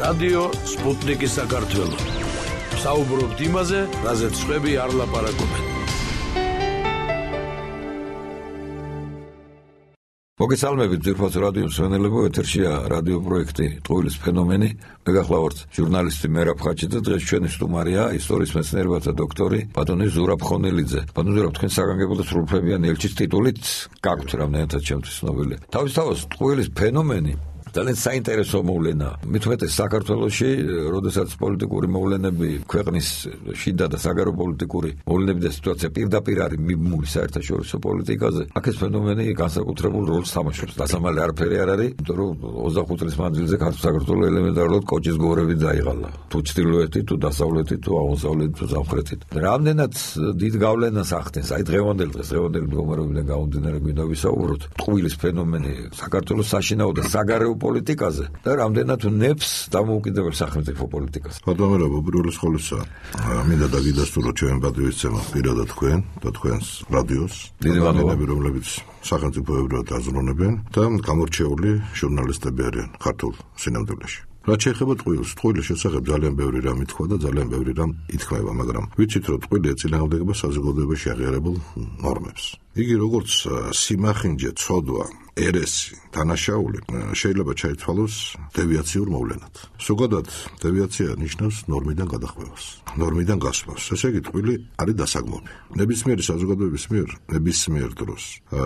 რადიო სპუტნიკი საქართველო. საუბრობთ იმაზე, რაზეც სხვები არ ლაპარაკობენ. მოგესალმებით ძირფას რადიო მსმენელებო, ეთერშია რადიო პროექტი ტყუილის ფენომენი. მე გახლავართ ჟურნალისტი მერაბ ხაჩი და დღეს ჩვენი სტუმარია ისტორიის მეცნიერებათა დოქტორი ბატონი ზურაბ ხონელიძე. ბატონი ზურაბ, თქვენ საგანგებო და სრულუფლებიანი ელჩის ტიტულით გაქვთ რამდენადაც ჩემთვის ცნობილი. თავისთავად ტყუილის ფენომენი ძალიან საინტერესო მოვლენა. მით უმეტეს საქართველოში, როდესაც პოლიტიკური მოვლენები, ქვეყნის შიდა და საგარეო პოლიტიკური მოვლენები და სიტუაცია პირდაპირ არის მიბმული საერთაშორისო პოლიტიკაზე, აქ ეს ფენომენი განსაკუთრებულ როლს თამაშობს. დასამალი არაფერი არ არის, იმიტომ რომ 25 წლის მანძილზე საქართველოს ელემენტარულად კოჭის გორები დაიღალა. თუ ჩრდილოეთით, თუ დასავლეთით, თუ აღმოსავლეთით, თუ სამხრეთით. რამდენად დიდ გავლენას ახდენს, აი დღევანდელი მდგომარეობიდან გამომდინარე გვინდა ვისაუბროთ, ტყუილის ფენომენი საქართველოს საშინაო და საგარეო პოლიტიკაზე და რამდენად ნებს დამოუკიდებელ სახელმწიფო პოლიტიკას. ბატონო, უბრალოდ ხოლისა მინდა დაგიდასტურო ჩვენ პატრიოტიზმმა პირადად თქვენ და თქვენს რადიოს. დიდი მადლობა, რომლებიც სახელმწიფოებრად აზროვნებენ და გამორჩეული ჟურნალისტები არიან ქართულ სინამდვილეში. რაც შეეხება ტყუილის შესახებ ძალიან ბევრი რამ ითქვა და ძალიან ბევრი რამ ითქმება, მაგრამ ვიცით რომ ტყუილი ეწინააღმდეგება საზოგადოებაში აღიარებულ ნორმებს. იგი როგორც სიმახინჯე, ცოდვა, ერესი, დანაშაული შეიძლება ჩაითვალოს დევიაციურ მოვლენად. ზოგადად დევიაცია ნიშნავს ნორმიდან გადახვევას, ნორმიდან გასვლას. ესე იგი ტყუილი არის დასაგმობი. ნებისმიერი საზოგადოების მიერ ნებისმიერ დროს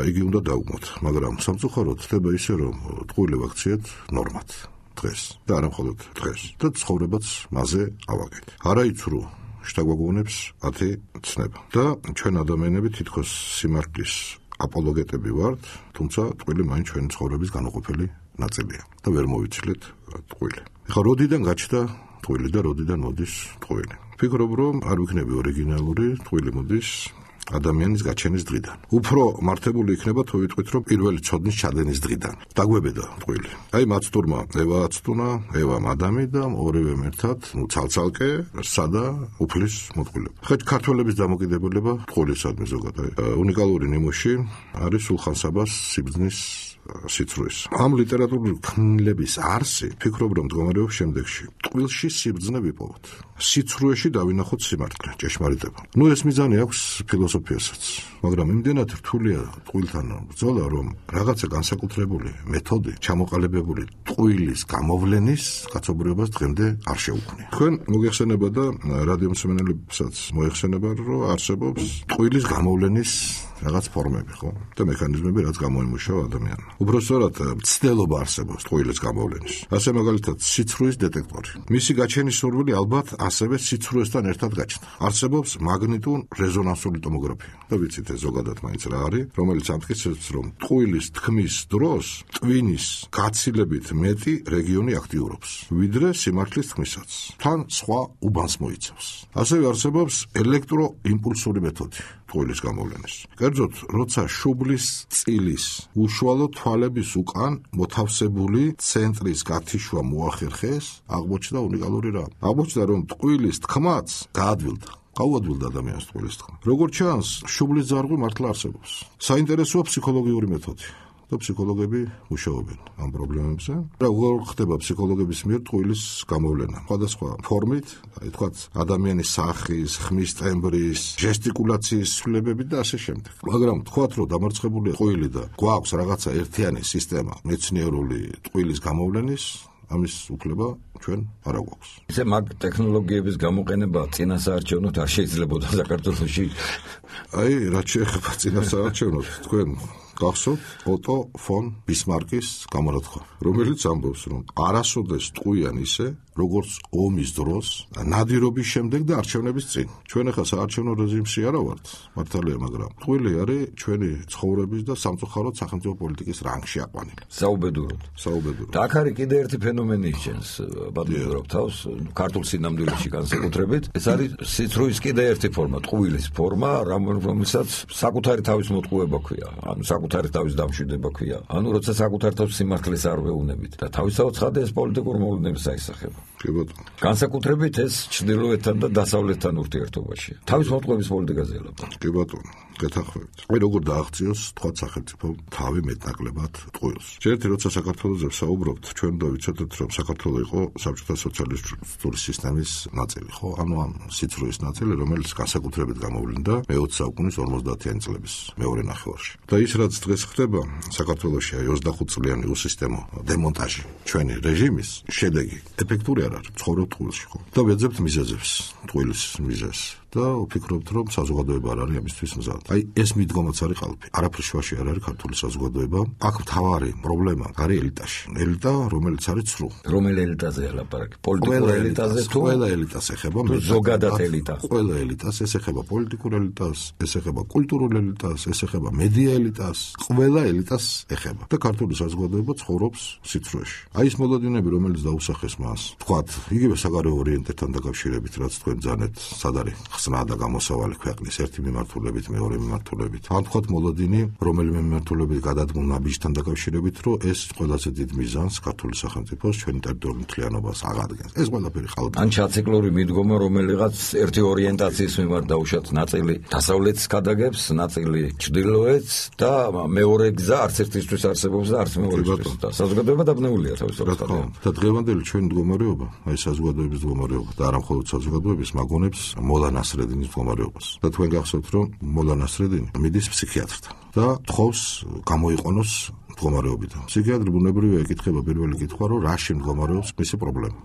იგი უნდა დაუგმოთ, მაგრამ სამწუხაროდ ხდება ისე რომ ტყუილი ვაქციეთ ნორმად. დღეს და არა მხოლოდ დღეს და ცხოვრებაც მასზე ავაგეთ. არაიცრუ შთაგვაგონებს 10 ცნება და ჩვენ ადამიანები თითქოს სიმართლის აპოლოგეტები ვართ, თუმცა ტყუილი მაინც ჩვენი ცხოვრების განუყოფელი ნაწილია და ვერ მოვიცილეთ ტყუილი. ეხლა როდიდან გაჩნდა ტყუილი და როდიდან მოდის ტყუილი? ვფიქრობ, რომ არ ვიქნები ორიგინალური, ტყუილი მოდის ადამიანის გაჩენის დღიდან. უფრო მართებული იქნება თუ ვიტყვით, რომ პირველი ცოდნის ჩადენის დღიდან. დაგვებედა ტყუილი. აი მაცდურმა ევა აცდუნა, ევამ ადამი და ორივემ ერთად, ცალცალკე სადა უფლის მოტყუილება. ხა ქართველების დამოკიდებულება ტყუილისადმი ზოგადად. უნიკალური ნიმუში არის სულხან საბას სიბრძნის სიცრუეს. ამ ლიტერატურული ქმნილების არსი, ფიქრობ, რომ მდგომარეობს შემდეგში. ტყუილში სიბრძნე ვიპოვოთ. სიცრუეში დავინახოთ სიმართლე, ჭეშმარიტება. ეს მიზანი აქვს ფილოსოფიასაც, მაგრამ იმდენად რთულია ტყუილთან ბრძოლა, რომ რაღაცა განსაკუთრებული მეთოდი, ჩამოყალიბებული ტყუილის გამოვლენის კაცობრიობას დღემდე არ შეუქმნია. თქვენ მოგეხსენება და რადიო მსმენელებსაც მოეხსენება, რომ არსებობს ტყუილის გამოვლენის რაღაც ფორმები, ხო? და მექანიზმები, რაც გამოიმუშავა ადამიანმა. უბრალოდ ცდელობა არსებობს ტყუილის გამოვლენის. ასე მაგალითად, სიცრუის დეტექტორი. მისი გაჩენის სურვილი ალბათ ასევე სიცრუესთან ერთად გაჩნდა. არსებობს მაგნიტურ-რეზონანსული ტომოგრაფია. და ვიცით ეს ზოგადად მაინც რა არის, რომელიც ამტკიცებს, რომ ტყუილის თქმის დროს ტვინის გაცილებით მეტი რეგიონი აქტიურობს, ვიდრე სიმართლის თქმისაც. თან სხვა უბანს მოიცავს. ასევე არსებობს ელექტროიმპულსური მეთოდი ტყუილის გამოვლენის. კერძოდ, როცა შუბლის წილის უშუალო თვალების უკან მოთავსებული ცენტრის გათიშვა მოახერხეს, აღმოჩნდა უნიკალური რამ. აღმოჩნდა, რომ ტყუილის თქმაც გაადვილდა. გაუადვილდა ადამიანს ტყუილის თქმა. როგორც ჩანს, შუბლის ძარღვი მართლა არსებობს. საინტერესოა ფსიქოლოგიური მეთოდი. და ფსიქოლოგები მუშაობენ ამ პრობლემებზე. რა ხდება ფსიქოლოგების მიერ ტყუილის გამოვლენა? სხვადასხვა ფორმით, აი თქვა ადამიანის სახის, ხმის ტემბრის, ჟესტიკულაციის ცვლილებები და ასე შემდეგ. მაგრამ თქვათ, რომ დამარცხებულია ტყუილი და გვაქვს რაღაცა ერთიანი სისტემა მეცნიერული ტყუილის გამოვლენის, ამის უფლება ჩვენ არ აქვს. ისე მაგ ტექნოლოგიების გამოყენება წინასაარჩევნოდ არ შეიძლებოდა საქართველოში. აი, რაც შეეხება წინასაარჩევნოდ, თქვენ გახსოვთ ოტო ფონ ბისმარკის გამონათქვა, რომელიც ამბობს, რომ არასოდეს ტყუიან ისე, როგორც ომის დროს, ნადირობის შემდეგ და არჩევნების წინ. ჩვენ ახლა საარჩევნო რეჟიმში არა ვართ, მართალია, მაგრამ ტყუილი არის ჩვენი ცხოვრების და სამწუხაროდ სახელმწიფო პოლიტიკის რანგში აყვანილი. საუბედუროდ. და აქ არის კიდე ერთი ფენომენი ისჩენს, ბატონო თავს, ქართულ სინამდვილეში განსაკუთრებით. ეს არის სიცრუის კიდე ერთი ფორმა, ტყუილის ფორმა, რომელსაც საკუთარი თავის მოტყუება ქვია, ანუ საკუთარი თავის დამშვიდება ქვია. ანუ როცა საკუთარ თავს სიმართლეს არ ვეუბნებით და თავისთავად ხადა ეს პოლიტიკურ მოვლენებს აისახება. კი ბატონო. განსაკუთრებით ეს ჩრდილოეთთან და დასავლეთთან ურთიერთობაში. თავის მოტყუების პოლიტიკაზე ელაპარაკა. კი ბატონო. გეთანხმებით. აი როგორ დააღწიოს თქვა სახელმწიფო თავი მეტნაკლებად ტყუილს. ჯერეთი როცა საქართველოზე ვსაუბრობთ, ჩვენ უნდა ვიცოდეთ, რომ საქართველო იყო საბჭოთა სოციალისტური სისტემის ნაწილი, ხო? ანუ ამ სიცრუის ნაწილი, რომელიც განსაკუთრებით გამოვლინდა მე-20 საუკუნის 50-იანი წლების მეორე ნახევარში. და ის რაც დღეს ხდება საქართველოში 25 წლიანი უსისტემო დემონტაჟი ჩვენი რეჟიმის შედეგი ეფექტური არ არის ცხოვრობ ტყუილში, ხო? და ვეძებთ მიზეზებს, ტყუილის მიზეზს. და ვფიქრობთ, რომ საზოგადოება არ არის ამისთვის მზად. აი ეს მიდგომაც არის ყალბი. არაფერ შუაში არ არის ქართული საზოგადოება. აქ მთავარი პრობლემა არის ელიტაში. ელიტა, რომელიც არის ცრუ. რომელი ელიტაზე ელაპარაკი? პოლიტიკურ ელიტაზე თუ ყველა ელიტას ეხება, ზოგადად ელიტა. ყველა ელიტას, ეს ეხება პოლიტიკურ ელიტას, ეს ეხება კულტურულ ელიტას, ეს ეხება მედია ელიტას, ყველა ელიტას ეხება. და ქართული საზოგადოება ცხოვრობს სიცრუეში. აი ეს მოლოდინები, რომელიც დაუსახეს მას, თქვათ, იგივე საგარეო ორიენტებთან დაკავშირებით, რაც თქვენ ძანეთ, სად არის ხსნა და გამოსავალი ქვეყნის ერთი მიმართულებით, მეორე მიმართულებით. ან თქვათ მოლოდინი, რომელიმე მიმართულებით გადადგმულ ნაბიჯთან დაკავშირებით, რომ ეს ყველაზე დიდ მიზანს ქართული სახელმწიფოს ჩვენი ტერიტორიული მთლიანობას აღადგენს. ეს ყველაფერი ყალბი. ან ჩაციკლური მიდგომა, რომელიღაც ერთი ორიენტაციის მიმართ დაუშვათ, ნაწილი დასავლეთს გადაგებს, ნაწილი ჩრდილოეთს და მეორე გზა არც ერთისთვის არსებობს და არც მეორისთვის. და საზოგადოება დაბნეულია თავის ორგანოებში. და დღევანდელი ჩვენი მდგომარეობა, აი საზოგადოების მდგომარეობა და არა მხოლოდ საზოგადოების მაგონებს მოლა ნასრედინის მდგომარეობას. და თქვენ გახსოვთ, რომ მოლა ნასრედინი მიდის ფსიქიატრთან და თხოვს გამოიყენოს მდგომარეობიდან. ფსიქიატრი ბუნებრივია ეკითხება პირველი კითხვა, რომ რაში მდგომარეობს მისი პრობლემა.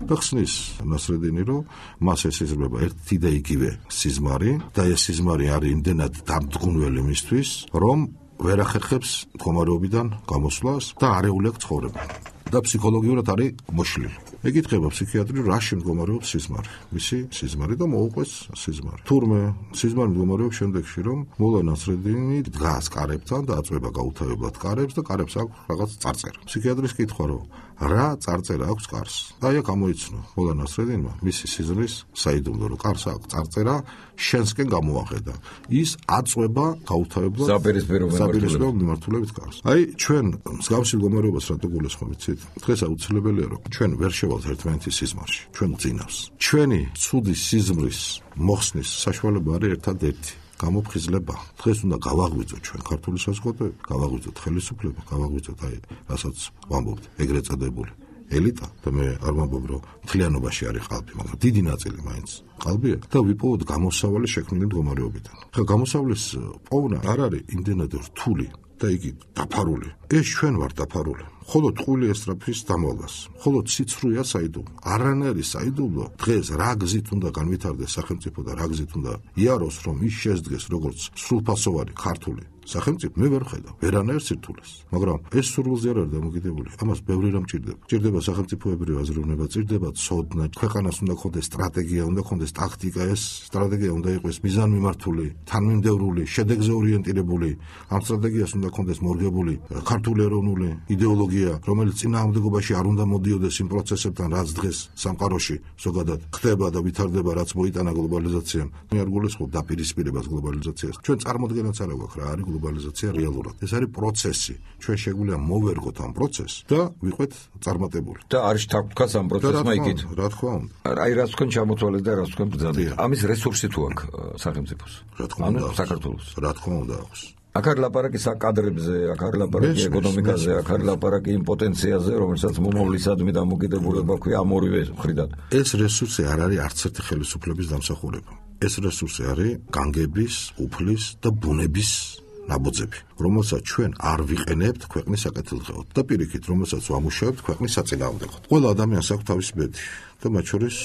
და ხსნის ნასრედინი, რომ მას ესიზრება ერთი და იგივე სიზმარი და ეს სიზმარი არის იმდენად დამდგუნველი მისთვის, რომ ვერ ახერხებს მდგომარეობიდან გამოსვლას და არეული აქვს ცხოვრება. და ფსიქოლოგიურად არის მოშლილი. ეკითხება ფსიქიატრი, რაში მდგომარეობს სიზმარი, მისი სიზმარი და მოუყვეს სიზმარი. თურმე სიზმარი მდგომარეობს შემდეგში, რომ მოლა ნასრედინი დგას კარებთან და აწვება გაუთავებლად კარებს და კარებს აქვს რაღაც წარწერა. ფსიქიატრის კითხვა, რომ რა წარწერა აქვს კარს? და აი გამოიცნო მოლა ნასრედინმა მისი სიზმრის საიდუმლო, რომ კარს აქვს წარწერა, შენსკენ გამოახედა. ის აწვება გაუთავებლად საპირისპირო მიმართულებით კარს. აი ჩვენ მსგავსი მდგომარეობას რატო გულისხმობთ? დღეს აუცილებელია, რომ ჩვენ ვერ შევალთ ერთმანეთის სიზმარში. ჩვენ წინავს. ჩვენი ცუდი სიზმრის მოხსნის საშუალება არის ერთადერთი გამოფხიზლება. დღეს უნდა გავაღვიძოთ ჩვენ ქართული საზოგადოება, გავაღვიძოთ ხელისუფლება, გავაღვიძოთ აი რასაც ვამბობთ, ეგრეთ წოდებული ელიტა და მე არ ვამბობ, რომ მთლიანობაში არის ყალბი, მაგრამ დიდი ნაწილი მაინც ყალბია და ვიპოვოთ გამოსავალი შექმნილი მდგომარეობიდან. ხა გამოსავლის პოვნა არ არის იმდენად რთული და იგი დაფარული. ეს ჩვენ ვართ დაფარული. ხოლო ტყუილი ესწრაფის დამალვას. ხოლო ციცრუია საიდუმლო. არანაირი საიდუმლო დღეს რა გზით უნდა განვითარდეს სახელმწიფო და რა გზით უნდა იაროს, რომ ის შესდგეს როგორც სრულფასოვანი ქართული სახელმწიფო, მე ვერ ხედავ ვერანაირ სირთულეს. მაგრამ ეს სურვილზე არ არის დამოკიდებული. ამას ბევრი რამ ჭირდება. ჭირდება სახელმწიფოებრივი აზროვნება, ჭირდება ცოდნა, ქვეყანას უნდა ქონდეს სტრატეგია, უნდა ქონდეს ტაქტიკა, ეს სტრატეგია უნდა იყოს მიზანმიმართული, თანმიმდევრული, შედეგზე ორიენტირებული. ამ სტრატეგიას უნდა ქონდეს მორგებული ქართული ეროვნული იდეოლოგია, რომელიც წინააღმდეგობაში არ უნდა მოდიოდეს იმ პროცესებთან, რაც დღეს სამყაროში ზოგადად ხდება და ვითარდება, რაც მოიტანა გლობალიზაციამ. მე არ გულისხმობ დაპირისპირებას გლობალიზაციას. ჩვენ წარმოდგენაც არ აქვს რა არის გლობალიზაცია რეალურად. ეს არის პროცესი. ჩვენ შეგვიძლია მოვერგოთ ამ პროცესს და ვიყვეთ წარმატებული. და არის თქოს ამ პროცესმა იგივე. რა თქმა უნდა. აი რაც თქვენ ჩამოთვალეთ და რაც თქვენ ბრძანეთ. ამის რესურსი თუ აქვს სახელმწიფოს? რა თქმა უნდა, საქართველოს. რა თქმა უნდა აქვს. აქ არის ლაპარაკი საკადრებზე, აქ არის ლაპარაკი ეკონომიკაზე, აქ არის ლაპარაკი იმ პოტენციალზე, რომელსაც მომავლისადმი დამოკიდებულება ქვია ამ ორივე მხრიდან. ეს რესურსი არ არის არც ერთი ხელისუფლების დამსახურება. ეს რესურსი არის განგების, უფლის და ბუნების ნაბოძები, რომელსაც ჩვენ არ ვიყენებთ ქვეყნის საკეთილდღეოდ და პირიქით, რომელსაც ვამუშავებთ ქვეყნის საწინააღმდეგოდ. ყველა ადამიანს აქვს თავისი ბედი და მათ შორის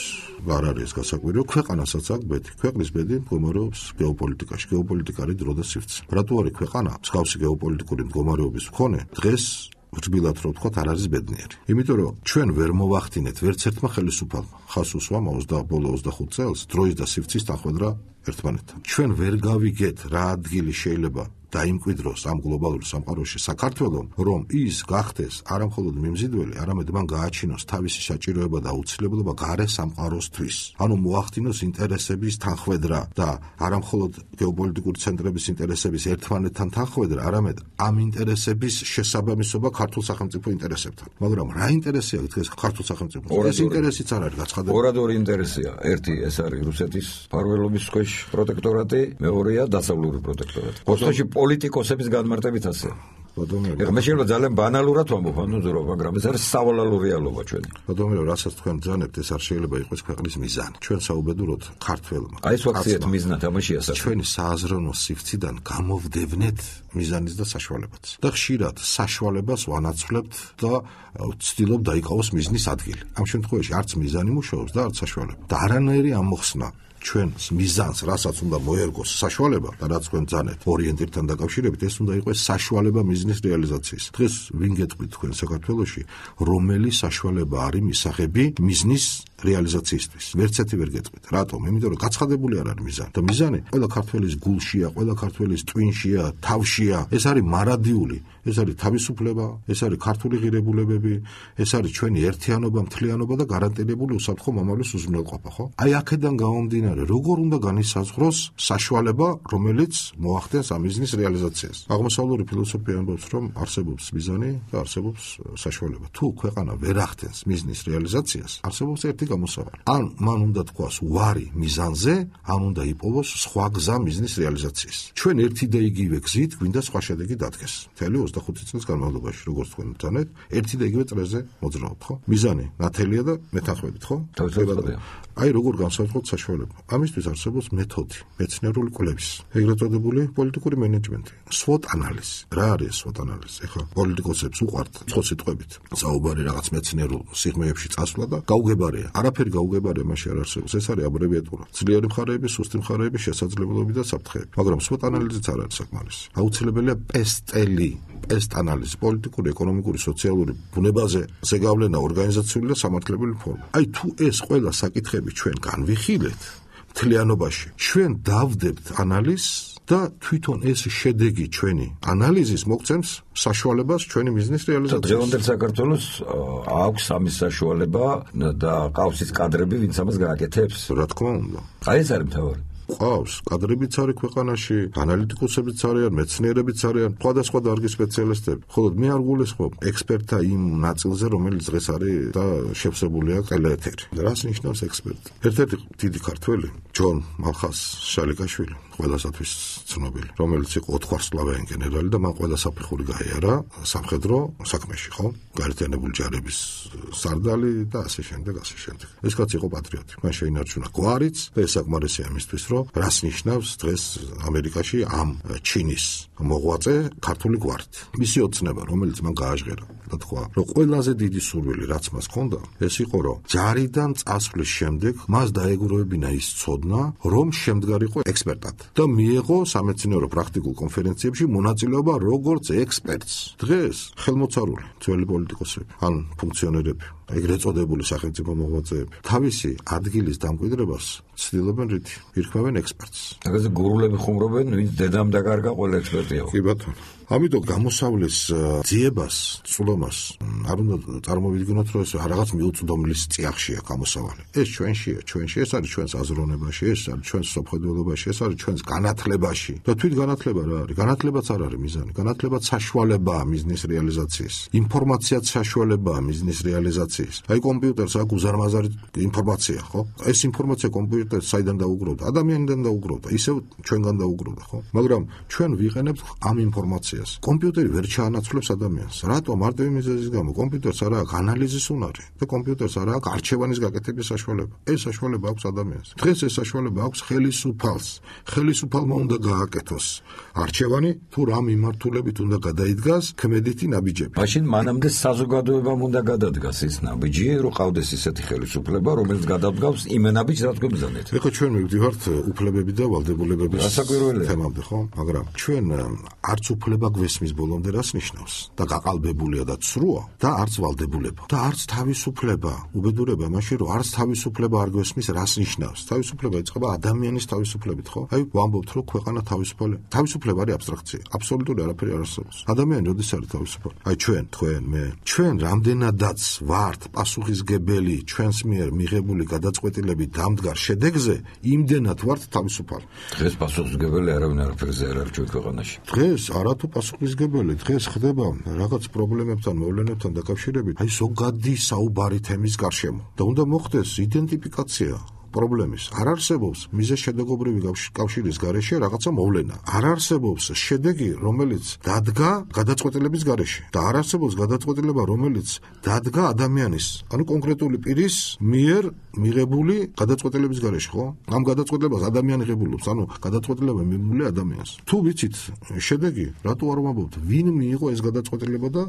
არ არის ეს გასაკვირიო, ქვეყანასაც აქვს ბედი. ქვეყნის ბედი მდგომარეობს გეოპოლიტიკაში. გეოპოლიტიკა არის დრო და სივრცე. რატო არის ქვეყანა მსგავსი გეოპოლიტიკური მდგომარეობის მქონე დღეს რთბილად რო ვთქვათ, არ არის ბედნიერი. იმიტომ რომ ჩვენ ვერ მოვახდინეთ ვერც ერთმა ხელისუფალმა ხას უსვამ 25 წელს დროის და სივრცის თანხმედრა ერთმანეთთან. ჩვენ ვერ გავიგეთ რა ადგილი შეიძლება დაიმკვიდროს ამ გლობალური სამყაროში საქართველომ, რომ ის გახდეს არა მხოლოდ მიმზიდველი, არამედ მან გააჩინოს თავისი საჭიროება და აუცილებლობა გარე სამყაროსთვის. ანუ მოახდინოს ინტერესების თანხვედრა და არა მხოლოდ გეოპოლიტიკური ცენტრების ინტერესების ერთმანეთთან თანხვედრა, არამედ ამ ინტერესების შესაბამისობა ქართულ სახელმწიფო ინტერესებთან. მაგრამ რა ინტერესია დღეს ქართულ სახელმწიფოს? ეს ინტერესიც არ არის გაცხადებული. ორადორი ინტერესია. ერთი ეს არის რუსეთის მფარველობის ქვეშ პროტექტორატი, მეორეა დასავლური პროტექტორატი. ხოსტოში პოლიტიკოსების განმარტებით ასე. ეხლა მე შეიძლება ძალიან ბანალურად ვამბობ, მაგრამ ეს არის სავალალო რეალობა ჩვენი. ბატონო, რასაც თქვენ ძანებთ, ეს არ შეიძლება იყოს ქვეყნის მიზანი. ჩვენ საუბედუროთ ქართველმა. აი ეს ვაქციეთ მიზნად ამაშია საქმე. ჩვენი სააზროვნო სივრციდან გამოვდევნეთ მიზანის და საშუალებაც. და ხშირად საშუალებას ვანაცვლებთ და ვცდილობ დაიკავოს მიზნის ადგილი. ამ შემთხვევაში არც მიზანი მუშაობს და არც საშუალება. და არანაირი ამოხსნა ჩვენს მიზანს, რასაც უნდა მოერგოს საშუალება და რაც თქვენ ძანეთ ორიენტირთან დაკავშირებით, ეს უნდა იყოს საშუალება მიზნის რეალიზაციის. დღეს ვინ გეტყვით თქვენ საქართველოში, რომელი საშუალება არის მისაღები მიზნის რეალიზაციისთვის? ვერცერთი ვერ გეტყვით. რატომ? იმიტომ რომ გაცხადებული არ არის მიზანი. და მიზანი ყველა ქართველის გულშია, ყველა ქართველის ტვინშია, თავშია. ეს არის მარადიული, ეს არის თავისუფლება, ეს არის ქართული ღირებულებები, ეს არის ჩვენი ერთიანობა, მთლიანობა და გარანტირებული უსაფრთხო მომავლის უზრუნველყოფა, ხო? აი აქედან გამომდინარე, როგორ უნდა განისაზღვროს საშუალება, რომელიც მოახდენს ამ მიზნის რეალიზაციას. აღმოსავლური ფილოსოფია ამბობს, რომ არსებობს მიზანი და არსებობს საშუალება. თუ ქვეყანა ვერ ახდენს მიზნის რეალიზაციას, არსებობს ერთი გამოსავალი. ან მან უნდა თქვას უარი მიზანზე, ან უნდა იპოვოს სხვა გზა მიზნის რეალიზაციის. ჩვენ ერთი და იგივე გზით გვინდა სხვა შედეგი დადგეს. მთელი 25 წლის განმავლობაში, როგორც თქვენ ძანეთ, ერთი და იგივე წრეზე მოძრაობთ, ხო? მიზანი ნათელია და მეთანხმებით, ხო? თავისუფლად. აი როგორ განსაზღვროთ საშუალება. ამისთვის არსებობს მეთოდი, მეცნიერული კვლევის, ეგრეთ წოდებული პოლიტიკური მენეჯმენტი, SWOT ანალიზი. რა არის SWOT ანალიზი? ეხლა პოლიტიკოსებს უყვართ სხვა სიტყვებით. საუბარი რაღაც მეცნიერულ სიღრმეებში წასვლა და გაუგებარია. არაფერი გაუგებარია მაშინ არ არსებობს. ეს არის აბრევიატურა. ძლიერი მხარეები, სუსტი მხარეები, შესაძლებლობები და საფრთხეები. მაგრამ SWOT ანალიზიც არ არის საკმარისი. აუცილებელია PEST ანალიზი, პოლიტიკური, ეკონომიკური, სოციალური ბუნებაზე ზეგავლენა, ორგანიზაციული და სამართლებრივი ფორმა. აი თუ ეს ყველა საკითხები ჩვენ განვიხილეთ მთლიანობაში, ჩვენ დავდებთ ანალიზს და თვითონ ეს შედეგი ჩვენი ანალიზის მოგცემს საშუალებას ჩვენი მიზნის რეალიზაციას. დღევანდელ საქართველოს აქვს ამის საშუალება და ყავს ის კადრები, ვინც ამას გააკეთებს. რა თქმა უნდა. აი ეს არის მთავარი. ყავს კადრებიც არის ქვეყანაში, ანალიტიკოსებიც არიან, მეცნიერებიც არიან, სხვადასხვა დარგის სპეციალისტები. ხოლო მე არ გულისხმობ ექსპერტთა იმ ნაწილზე, რომელიც დღეს არის და შევსებულია ტელეეთერი. რას ნიშნავს ექსპერტი? ერთ-ერთი დიდი ქართველი, ჯონ მალხას შალიკაშვილი, ყველასათვის ცნობილი, რომელიც იყო 4 ვარსკვლავიანი გენერალი და მან ყველა საფეხური გაიარა სამხედრო საქმეში, ხო? გაერთიანებული ჯარების სარდალი და ასე შემდეგ. ეს კაცი იყო პატრიოტი. მან შეინარჩუნა გვარიც და ეს საკმარისია იმისთვის, რომ რას ნიშნავს დღეს ამერიკაში ამ ჩინის მოღვაწე ქართული გვარით. მისი ოცნება, რომელიც მან გააჟღერა და თქვა, რომ ყველაზე დიდი სურვილი, რაც მას ჰქონდა, ეს იყო, რომ ჯარიდან წასვლის შემდეგ მას დაეგურებინა ის ცოდნა, რომ შემდგარიყო ექსპერტად და მიეღო სამეცნიერო პრაქტიკულ კონფერენციებში მონაწილეობა როგორც ექსპერტს. დღეს ხელმოწარული ძველი პოლიტიკოსები ან ფუნქციონერები, ეგრეთ წოდებული სახელმწიფო მოღვაწეები, თავისი ადგილის დამკვიდრებას ცდილობენ რითი? ირქმევენ ექსპერტს. აგაზე გურულები ხუმრობენ, ვინც დედამ დაკარგა, ყველა ექსპერტია. კი ბატონო. ამიტომ გამოსავლის ძიებას, წვლომას არ უნდა წარმოვიდგინოთ, რომ ეს რაღაც მიუწვდომლის წიაღშია გამოსავალი. ეს ჩვენშია, ეს არის ჩვენს აზროვნებაში, ეს არის ჩვენს სოფხედველობაში, ეს არის ჩვენს განათლებაში. და თვით განათლება რა არის? განათლებაც არ არის მიზანი. განათლებაც საშუალებაა მიზნის რეალიზაციის. ინფორმაციაც საშუალებაა მიზნის რეალიზაციის. აი კომპიუტერს აქვს უზარმაზარი ინფორმაცია, ხო? ეს ინფორმაცია კომპიუტერს საიდან დაუგროვდა? ადამიანიდან დაუგროვდა, ისევ ჩვენგან დაუგროვდა, ხო? მაგრამ ჩვენ ვიყენებთ ამ ინფორმაციას. კომპიუტერი ვერ ჩაანაცვლებს ადამიანს. რატო? მარტივი მიზეზის გამო. კომპიუტერს არ აქვს ანალიზის უნარი და კომპიუტერს არ აქვს არჩევანის გაკეთების საშუალება. ეს საშუალება აქვს ადამიანს. დღეს ეს საშუალება აქვს ხელისუფალს. ხელისუფალმა უნდა გააკეთოს არჩევანი, თუ რა მიმართულებით უნდა გადაიდგას ქმედითი ნაბიჯები. მაშინ მანამდე საზოგადოებამ უნდა გადადგას ის ნაბიჯი, რომ ყავდეს ისეთი ხელისუფლება, რომელიც გადადგავს იმ ნაბიჯს, რაც გვებზანეთ. ეხლა ჩვენ მივდივართ უფლებები და ვალდებულებების თემამდე, ხო? მაგრამ ჩვენ არც უფლება გვესმის ბოლომდე რას ნიშნავს და გაყალბებულია და ცრუა და არც ვალდებულება და არც თავისუფლება. უბედურება მაშინ რომ არც თავისუფლება არ გვესმის რას ნიშნავს. თავისუფლება იწყება ადამიანის თავისუფლებით, ხო? აი ვამბობთ რომ ქვეყანა თავისუფალი. თავისუფლება არის აბსტრაქცია. აბსოლუტური არაფერი არ არსებობს. ადამიანი როდის არის თავისუფალი? აი თქვენ, მე. ჩვენ რამდენადაც ვართ პასუხისგებელი ჩვენს მიერ მიღებული გადაწყვეტილებით დამდგარ შედეგზე, იმდენად ვართ თავისუფალი. დღეს პასუხისგებელი არავინ არაფერზე არ არის ჩვენ ქვეყანაში. დღეს არათუ პასუხისგებელი, დღეს ხდება რაღაც პრობლემებთან, მოვლენებთან დაკავშირებით, აი ზოგადი საუბარი თემის გარშემო. და უნდა მოხდეს იდენტიფიკაცია პრობლემის. არ არსებობს მიზეზ-შედეგობრივი კავშირის გარეშე რაღაცა მოვლენა. არ არსებობს შედეგი, რომელიც დადგა გადაწყვეტილების გარეშე და არ არსებობს გადაწყვეტილება, რომელიც დადგა ადამიანის, ანუ კონკრეტული პირის მიერ მიღებული გადაწყვეტილების გარეშე, ხო? ამ გადაწყვეტილებას ადამიანი ღებულობს, ანუ გადაწყვეტილება მიღებული ადამიანს. თუ ვიცით შედეგი, რატო არ ვამბობთ, ვინ მიიღო ეს გადაწყვეტილება და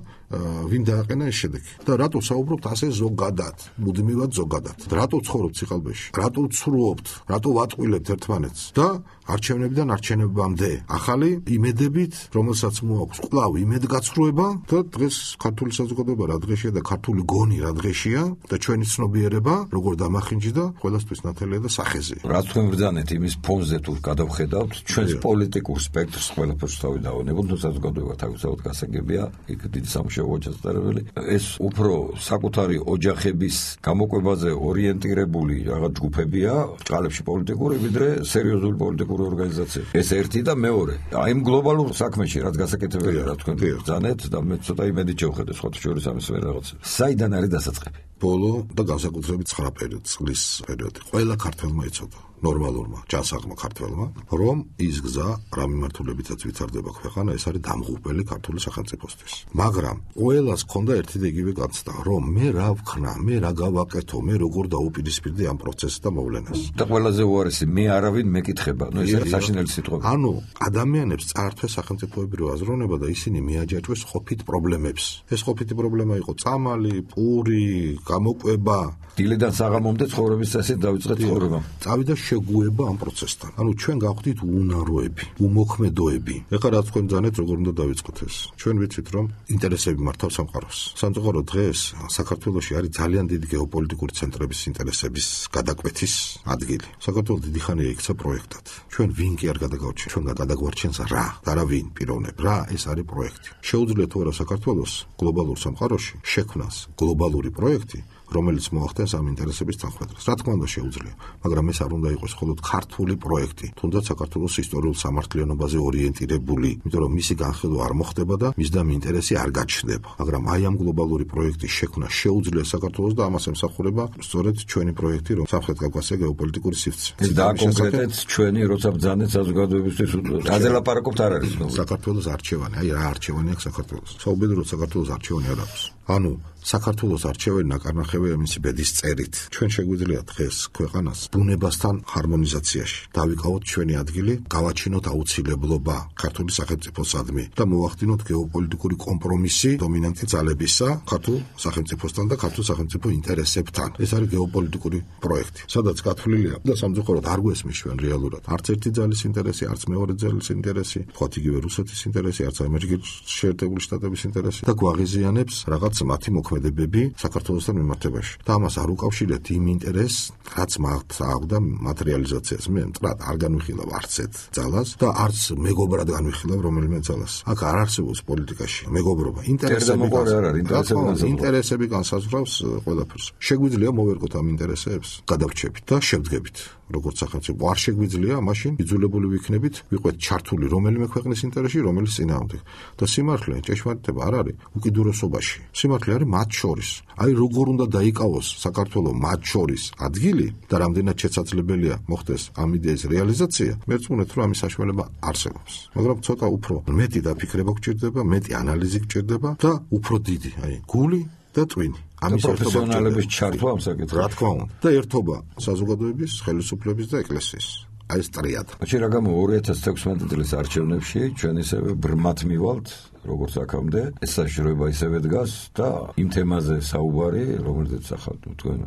ვინ დააყენა ეს შედეგი? და რატო საუბრობთ ასე ზოგადად, მუდმივად ზოგადად? რატო ცხოვრობთ სიყალბეში? რატო ვცრუობთ, რატო ვატყვილებთ ერთმანეთს და არჩევნებიდან არჩევნებამდე ახალი იმედებით, რომელსაც მოაქვს კვლავ იმედგაცრუება და დღეს ქართული საზოგადოება რა დღეშია და ქართული გონი რა დღეშია და ჩვენი ცნობიერება როგორ დამახინჯდა ყველასთვის ნათელია და სახეზია. რაც თქვენ ბრძანეთ იმის ფონზე თუ გადავხედავთ ჩვენს პოლიტიკურ სპექტრს ყველაფერს თავი დავანებოთ, თუ საზოგადოება თავისთავად გასაგებია, იქ დიდი სამუშაო ოჯახდარებელი. ეს უფრო საკუთარი ოჯახების გამოკვებაზე ორიენტირებული რაღაც ჯგუფებია, ჭალებში პოლიტიკური, ვიდრე სერიოზული პოლიტიკური ორგანიზაცია. ეს ერთი და მეორე. აი იმ გლობალურ საქმეში რაც გასაკეთებელია, რა თქვენ ბრძანეთ და მე ცოტა იმედით შევხედე სხვათა შორის ამის რაღაც. საიდან არის დასაწყები? ბოლო და განსაკუთრებით 9 წლის პერიოდი. ყველა ქართველმა იცოდა. ნორმალურმა, ჯანსაღმა ქართველმა, რომ ის გზა, რა მიმართულებითაც ვითარდება ქვეყანა, ეს არის დამღუპელი ქართული სახელმწიფოსთვის. მაგრამ ყველას ჰქონდა ერთი და იგივე განცდა, რომ მე რა ვქნა, მე რა გავაკეთო, მე როგორ დაუპირისპირდი ამ პროცესს და მოვლენას. და ყველაზე უარესი, მე არავინ მეკითხება. ნუ ეს არის საშინელი სიტყვები. ანუ ადამიანებს წაართვეს სახელმწიფოებრივი აზროვნება და ისინი მიაჯაჭვეს ყოფით პრობლემებს. ეს ყოფითი პრობლემა იყო წამალი, პური, გამოკვება. დილიდან საღამომდე ცხოვრების წესით დავიწყეთ ცხოვრება. წავიდა შეგუება ამ პროცესთან. ანუ ჩვენ გავხდით უნაროები, უმოქმედოები. ეხლა რაც თქვენ ბრძანეთ, როგორ უნდა დავიწყოთ ეს? ჩვენ ვიცით, რომ ინტერესები მართავს სამყაროს. სამწუხარო დღეს საქართველოში არის ძალიან დიდი გეოპოლიტიკური ცენტრების ინტერესების გადაკვეთის ადგილი. საქართველოს დიდი ხანია იქცა პროექტად. ჩვენ ვინ კი არ გადაგავარჩენთ, ჩვენ გადაგვარჩენს რა, და რა ვინ პიროვნებ. რა ეს არის პროექტი. შეუძლია თუ არა საქართველოს გლობალურ სამყაროში შექმნას გლობალური პროექტი, რომელიც მოახდენს ამ ინტერესების თანხმდას. რა თქმა უნდა შეუძლია, მაგრამ ეს არ უნდა იყოს მხოლოდ ქართული პროექტი, თუნდაც საქართველოს ისტორიულ სამართლიანობაზე ორიენტირებული, იმიტომ რომ მისი განხილვა არ მოხდება და მისდამი ინტერესი არ გაჩნდება. მაგრამ აი ამ გლობალური პროექტის შექმნა შეუძლია საქართველოს და ამას ემსახურება სწორედ ჩვენი პროექტი, რომ სამხრეთ კავკასია გეოპოლიტიკური სივრცე. ეს დააკონკრეტეთ ჩვენი, როცა ბრძანეთ საზოგადოებისთვის, რაზე ლაპარაკობთ არ არის ნუ. საქართველოს არჩევანი, აი რა არჩევანი აქვს საქართველოს. საუბედუროდ საქართველოს არჩევანი არ აქვს. ანუ საქართველოს არჩევანი ნაკარნახევია მისი ბედის წერით. ჩვენ შეგვიძლია დღეს ქვეყანას ბუნებასთან ჰარმონიზაციაში დავიკავოთ ჩვენი ადგილი, გავაჩინოთ აუცილებლობა ქართული სახელმწიფოსადმი და მოვახდინოთ გეოპოლიტიკური კომპრომისი დომინანტი ძალებისა ქართულ სახელმწიფოსთან და ქართულ სახელმწიფო ინტერესებთან. ეს არის გეოპოლიტიკური პროექტი, სადაც გათვლილია და სამწუხაროდ არ გვესმის ჩვენ რეალურად არც ერთი ძალის ინტერესი, არც მეორე ძალის ინტერესი, თქვათ იგივე რუსეთის ინტერესი, არც ამერიკის შეერთებული შტატების ინტერესი და გვაღიზიანებს რაღაც მათი მოქმედებები საქართველოსთან მიმართებაში. და ამას არ უკავშირეთ იმ ინტერესს, რაც მათ აქვს მათ რეალიზაციას. მე მტრად არ განვიხილავ არც ერთ ძალას და არც მეგობრად განვიხილავ რომელიმე ძალას. აქ არ არსებობს პოლიტიკაში მეგობრობა. ინტერესები განსაზღვრავს ყველაფერს. შეგვიძლია მოვერკოთ ამ ინტერესებს, გადავრჩებით და შევდგებით. როგორც სახელმწიფო არ შეგვიძლია, მაშინ იძულებული ვიქნებით ვიყვეთ ჩართული რომელიმე ქვეყნის ინტერესში, რომელიც წინააღმდეგ. და სიმართლე, ჭეშმარიტება არ არის უკიდურესობაში. სიმართლე არის მათ შორის. აი როგორ უნდა დაიკავოს საქართველოს მათ შორის ადგილი და რამდენად შესაძლებელია მოხდეს ამ იდეის რეალიზაცია, მე ვწუნეთ, რომ ამის საშუალება არსებობს. მაგრამ ცოტა უფრო მეტი დაფიქრება გჭირდება, მეტი ანალიზი გჭირდება და უფრო დიდი, აი გული და ტვინი. ამის პროფესიონალების ჩართვა ამ საკითხში. რა თქმა უნდა. და ერთობა საზოგადოების, ხელისუფლების და ეკლესიის. აი ეს ტრიად. მაშინ რა გამო 2016 წლის არჩევნებში ჩვენ ისევე ბრმად მივალთ როგორც აქამდე, ეს საშუალება ისევე დგას და იმ თემაზე საუბარი, რომელზეც ახლა თქვენ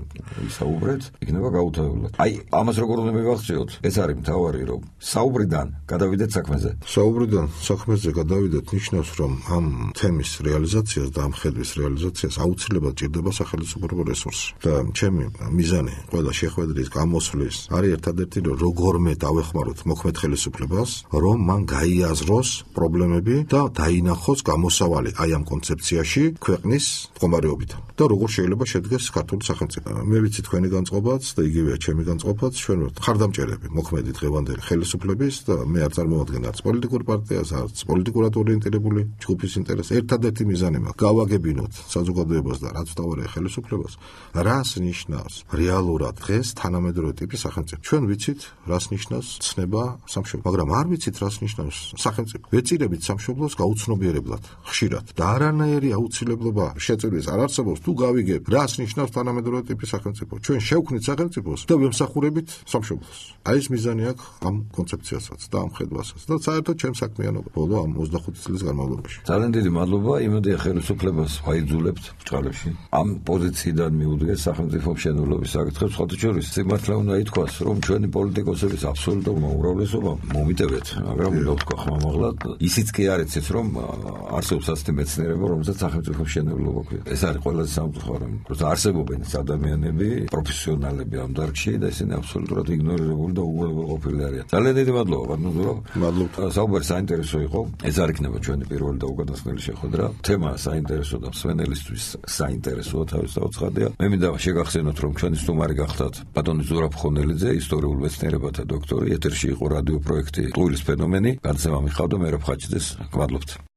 ვისაუბრეთ, იქნება გაუთავებლად. აი, ამას როგორ უნდა მივახციოთ? ეს არის მთავარი, რომ საუბრიდან გადავიდეთ საქმეზე. საუბრიდან საქმეზე გადავიდეთ ნიშნავს, რომ ამ თემის რეალიზაციას და ამ ხედვის რეალიზაციას აუცილებლად ჭირდება სახელმწიფო რესურსი. და ჩემი მიზანი ყველა შეხვედრის გამოსვლის არის ერთადერთი, რომ როგორმე დავეხმაროთ მოქმედ ხელისუფლებას, რომ მან გაიაზროს პრობლემები და დაინახოს გამოსავალი აი ამ კონცეფციაში ქვეყნის მდგომარეობიდან და როგორ შეიძლება შედგეს ქართული სახელმწიფო. მე ვიცი თქვენი განწყობაც და იგივეა ჩემი განწყობაც, ჩვენ ვართ ხარდამჭერები მოქმედი დღევანდელი ხელისუფლების და მე არ წარმოვადგენ არც პოლიტიკურ პარტიას, არც პოლიტიკურად ორიენტირებული ჯგუფის ინტერესს. ერთადერთი მიზანი მაქვს გავაგებინოთ საზოგადოებას და რაც თავარია ხელისუფლებას, რას ნიშნავს რეალურად დღეს თანამედროვე ტიპის სახელმწიფო. ჩვენ ვიცით, რას ნიშნავს ცნება სამშობლო, მაგრამ არ ვიცით, რას ნიშნავს სახელმწიფო. ვეწირებით სამშობლოს გაუცნობიერებლად ხშირად და არანაირი აუცილებლობა შეწირვის არ არსებობს თუ გავიგებ რას ნიშნავს თანამედროვე ტიპის სახელმწიფო. ჩვენ შევქმნით სახელმწიფოს და ვემსახურებით სამშობლოს. აი ეს მიზანი აქვს ამ კონცეფციასაც და ამ ხედვასაც და საერთოდ ჩემს საქმიანობა ბოლო ამ 25 წლის განმავლობაში. ძალიან დიდი მადლობა იმედია ხელისუფლებას ვაიძულებთ ბჭყალებში. ამ პოზიციიდან მიუდგეს სახელმწიფო მშენებლობის საკითხებს, ხოთი შორის სიმართლე უნდა ითქვას, რომ ჩვენი პოლიტიკოსების აბსოლუტურ უმრავლესობა მომიტევეთ, მაგრამ უნდა ვთქვა ხმამაღლა, ისიც კი არ იცით, რომ არსებობს ასეთი მეცნიერება, რომელსაც სახელმწიფო მშენებლობა ქვია. ეს არის ყველაზე სამწუხარო, რომ არსებობენ ადამიანები, პროფესიონალები ამ დარგში და ისინი აბსოლუტურად იგნორირებული და უგულებელყოფილი არიან. ძალიან დიდი მადლობა, ბატონო. მადლობა. საუბარი საინტერესო იყო. ეს არ იქნება ჩვენი პირველი და უკანასკნელი შეხვედრა. თემა საინტერესო და მსმენელისთვის საინტერესოა თავისთავად ცხადია. მე მინდა შეგახსენოთ, რომ ჩვენი სტუმარი გახდათ ბატონი ზურაბ ხონელიძე, ისტორიულ მეცნიერებათა დოქტორი. ეთერში იყო რადიო პროექტი ტყუილის ფენომენი. განსევამი ხავდა მერაბ ხაჭიძეს. გმადლობთ.